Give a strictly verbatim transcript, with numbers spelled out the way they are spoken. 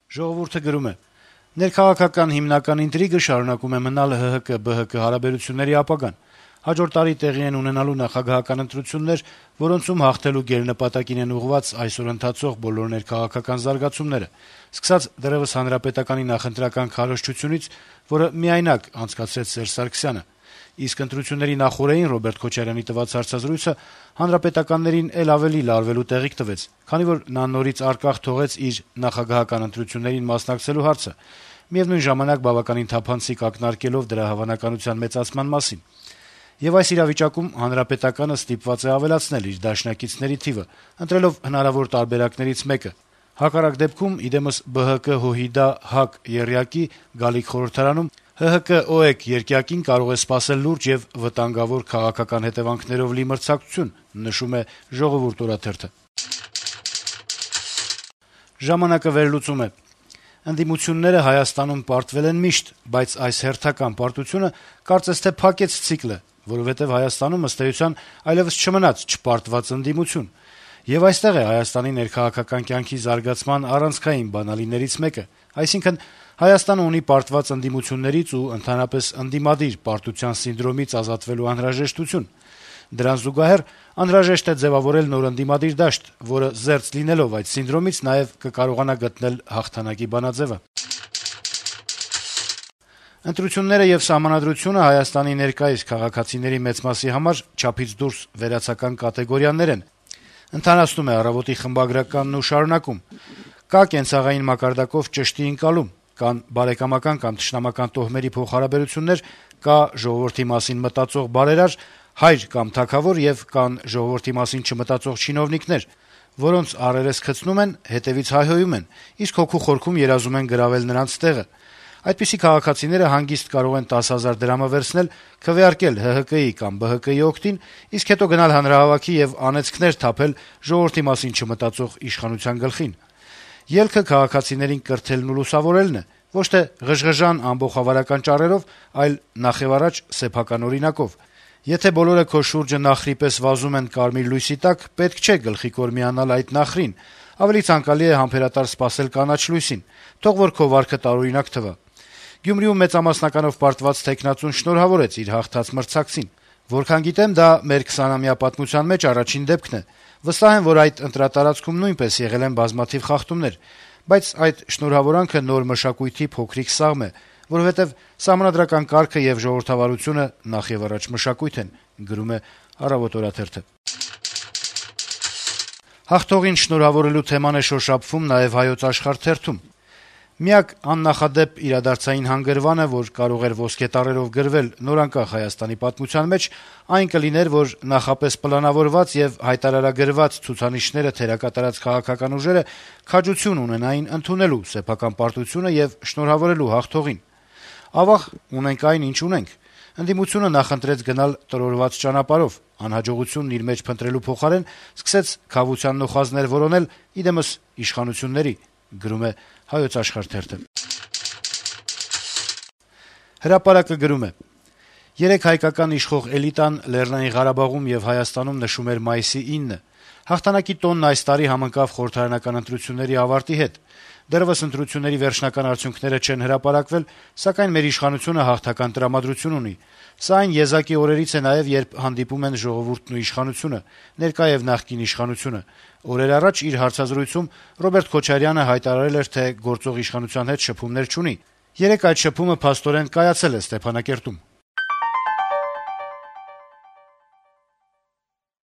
Ժողովուրդը գրում է. - «Ներքաղաքական հիմնական ինտրիգը շարունակում է մնալ ՀՀԿ ԲՀԿ հարաբերությունների ապագան: Հաջորդ տարի տեղի են ունենալու նախագահական ընտրություններ, որոնցում հաղթելու գերնպատակին են ուղղված այսօր ընթացող բոլոր ներքաղաքական զարգացումները, սկսած դեռեւս Հանրապետականի նախընտրական քարոզչությունից, որը միայնակ անցկացրեց Սերժ Սարգսյանը: Իսկ ընտրությունների նախօրեին Ռոբերտ Քոչարյանի տված հարցազրույցը հանրապետականներին էլ ավելի լարվելու տեղիք տվեց, քանի որ նա նորից առկախ թողեց իր նախագահական ընտրություններին մասնակցելու հարցը, միեւնույն ժամանակ բավականին թափանցիկ ակնարկելով դրա հավանականության մեծացման մասին: Եվ այս իրավիճակում Հանրապետականը ստիպված է ավելացնել իր դաշնակիցների թիվը, ընտրելով հնարավոր տարբերակներից մեկը: Հակառակ դեպքում, ի դեմս ԲՀԿ-ՀՅԴ-ՀԱԿ եռյակի գալիք խորհրդարանում ՀՀԿ-ՕԵԿ երկյակին կարող է սպասել լուրջ եւ վտանգավոր քաղաքական հետեւանքներով լի մրցակցություն»: «Ժամանակ»-ը վերլուծում է. - «Ընդդիմությունները Հայաստանում պարտվել են միշտ, բայց այս հերթական պարտությունը կարծես թե փակեց ցիկլը, որովհետեւ Հայաստանում, ըստ էության, այլեւս չմնաց չպարտված ընդդիմություն: Եվ այստեղ է Հայաստանի ներքաղաքական կյանքի զարգացման առանցքային բանալիներից մեկը: Այսինքն` Հայաստանը ունի պարտված ընդդիմություններից ու ընդհանրապես ընդդիմադիր պարտության սինդրոմից ազատվելու անհրաժեշտություն: Դրան զուգահեռ անհրաժեշտ է ձեւավորել նոր ընդդիմադիր դաշտ, որը, զերծ լինելով այդ սինդրոմից, նաեւ կկարողանա գտնել հաղթանակի բանաձեւը»: Ընտրությունները եւ Սահմանադրությունը Հայաստանի ներկայիս քաղաքացիների մեծ մասի համար չափից դուրս վերացական կատեգորիաներ են: Ընթանացնում է «Առավոտ»-ի խմբագրականն ու շարունակում. - «Կա կենցաղային մակարդակով ճշտի ընկալում, կան բարեկամական կամ թշնամական տոհմերի փոխհարաբերություններ, կա ժողովրդի մասին մտածող բարերար, հայր կամ թագավոր եւ կան ժողովրդի մասին չմտածող չինովնիկներ, որոնց առերես քցնում են, հետեւից հայհոյում են, իսկ հոգու խորքում երազում են գրավել նրանց տեղը: Այդպիսի քաղաքացիները հանգիստ կարող են տասը հազար դրամը վերցնել, քվեարկել ՀՀԿ-ի կամ ԲՀԿ-ի օգտին, իսկ հետո գնալ հանրահավաքի եւ անեծքներ թափել ժողովրդի մասին չմտածող իշխանության գլխին: Ելքը քաղաքացիներին կրթելն ու լուսավորելն է, ոչ թե ղժղժան ամբոխավարական ճառերով, այլ նախեւառաջ սեփական օրինակով: Եթե բոլորը քո շուրջը նախրի պես վազում են կարմիր լույսի տակ, պետք չէ գլխիկոր միանալ այդ նախրին, ավելի ցանկալի է համբերատար սպասել կանաչ լույսին, թող որ քո վարքը տարօրինակ թվա: Գյումրիում մեծամասնականով պարտված թեկնածուն շնորհավորեց իր հաղթած մրցակցին: Որքան գիտեմ, դա մեր քսանամյա պատմության մեջ առաջին դեպքն է: Վստահ եմ, որ այդ ընտրատարածքում նույնպես եղել են բազմաթիվ խախտումներ, բայց այդ շնորհավորանքը նոր մշակույթի փոքրիկ սաղմ է, որովհետեւ սահմանադրական կարգը եւ ժողովրդավարությունը նախեւառաջ մշակույթ են»: Հաղթողին շնորհավորելու թեման է շոշափվում նաեւ «Հայոց Աշխարհ» թերթում. - «Միակ աննախադեպ իրադարձային հանգրվանը, որ կարող էր ոսկե տառերով գրվել նորանկախ Հայաստանի պատմության մեջ, այն կլիներ, որ նախապես պլանավորված եւ հայտարարագրված ցուցանիշները թերակատարած քաղաքական ուժերը քաջություն ունենային ընդունելու սեփական պարտությունը եւ շնորհավորելու հաղթողին: Ավաղ, ունենք այն, ինչ ունենք: Ընդդիմությունը նախընտրեց գնալ տրորված ճանապարհով, անհաջողությունն իր մեջ փնտրելու փոխարեն սկսեց քավության նոխազներ որոնել, ի դեմս իշխանությունների»: «Հրապարակ»-ը գրում է. - «Երեկ հայկական իշխող էլիտան Լեռնային Ղարաբաղում եւ Հայաստանում նշում էր մայիսի ինը: Հաղթանակի տոնն այս տարի համընկավ խորհրդարանական ընտրությունների ավարտի հետ: Դեռեւս ընտրությունների վերջնական արդյունքները չեն հրապարակվել, սակայն մեր իշխանությունը հաղթական տրամադրություն ունի: Սա այն եզակի օրերից է նաեւ, երբ հանդիպում են ժողովուրդն ու իշխանությունը, ներկա եւ նախկին իշխանությունը: Օրեր առաջ իր հարցազրույցում Ռոբերտ Քոչարյանը հայտարարել էր, թե գործող իշխանության հետ շփումներ չունի: Երեկ այդ շփումը փաստորեն կայացել է Ստեփանակերտում»: